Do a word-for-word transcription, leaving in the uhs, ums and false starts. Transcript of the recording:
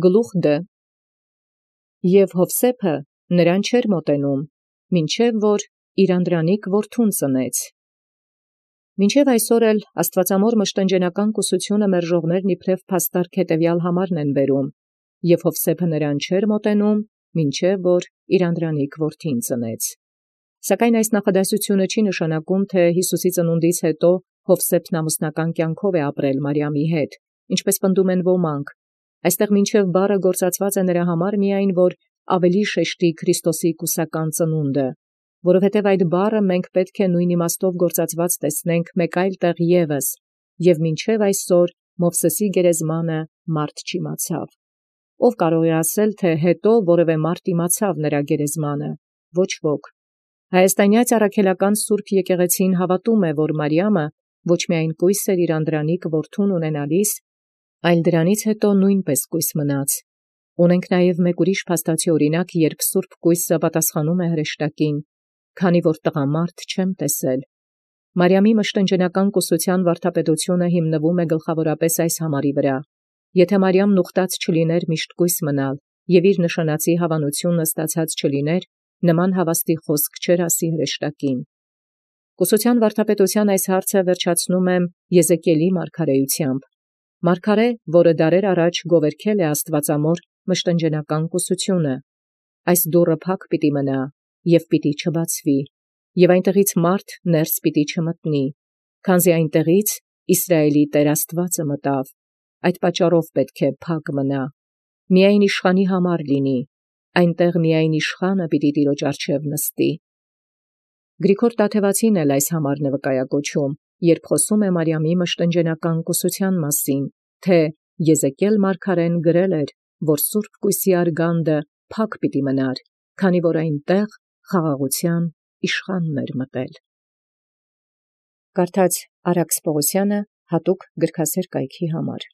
գլուխ Դ. Եւ Յովսէփը նրան չէր մոտենում, մինչև որ իր անդրանիկ որդուն ծնեց։ Մինչև այսօր էլ աստուածամոր մշտնջենական կուսությունը մերժողներն իբրև փաստարք հետևյալ համարն են բերում, եւ Յովսէփը նրան չէր մոտենում, մինչև որ իր անդրանիկ որդին ծնեց։ Սակայն այս նախադասությունը չի նշանակում, թե Յիսուսի ծնունդից հետո Յովսէփն ամուսնական կյանքով է ապրել Մարիամի հետ, ինչպես պնդում են ոմանք։ Այստեղ մինչև բառը գործածված է նրա համար միայն, որ ավելի շեշտի Քրիստոսի կուսական ծնունդը, որովհետև այդ բառը մենք պետք է նույն իմաստով գործածված տեսնենք մեկ այլ տեղ ևս, եւ մինչև այսօր Մովսեսի գերեզմանը մարդ չիմացավ։ Ով կարող է ասել, թե հետո որևէ մարդ իմացավ նրա գերեզմանը։ Ոչ ոք։ Հայաստանյաց առաքելական Սուրբ եկեղեցին հավատում է, որ Մարիամը ոչ միայն կույս էր իր անդրանիկ որդուն ունենալիս, այլ դրանից հետո նույնպես կույս մնաց։ Ունենք նաև մեկ ուրիշ փաստացի օրինակ, երբ Սուրբ կույսը պատասխանում է հրեշտակին, քանի որ տղամարդ չեմ տեսել։ Մարիամի մշտնջենական կուսության վարդապետությունը հիմնվում է գլխավորապես այս համարի վրա. եթե Մարիամն ուխտած չլիներ միշտ կույս մնալ, եւ իր նշանածի հավանությունը ստացած չլիներ, նման հավաստի խոսք չէր ասի հրեշտակին։ Կուսության վարդապետության այս հարցը վերջացնում եմ Եզեկիելի մարգարեությամբ։ Մարգարե, որը դարեր առաջ գովերքել է աստվածամոր մշտնջենական կուսությունը, այս դուռը փակ պիտի մնա եւ պիտի չբացվի, եւ այնտեղից մարդ ներս պիտի չմտնի, քանզի այնտեղից Իսրայելի Տեր Աստուածը մտավ, այդ պատճառով պետք է փակ մնա, միայն իշխանի համար լինի, այնտեղ միայն իշխանը պիտի Տիրոջ առջև նստի։ Գրիգոր Տաթևացին էլ այս համարն է վկայակոչում, երբ խոսում է Մարիամի մշտնջենական կուսության մասին, թե Եզեկիել մարգարեն գրել էր, որ Սուրբ կույսի արգանդը փակ պիտի մնար, քանի որ այնտեղ խաղաղության իշխանն էր մտել։ Կարդաց Արաքս Պողոսյանը հատուկ գրքասեր կայքի համար։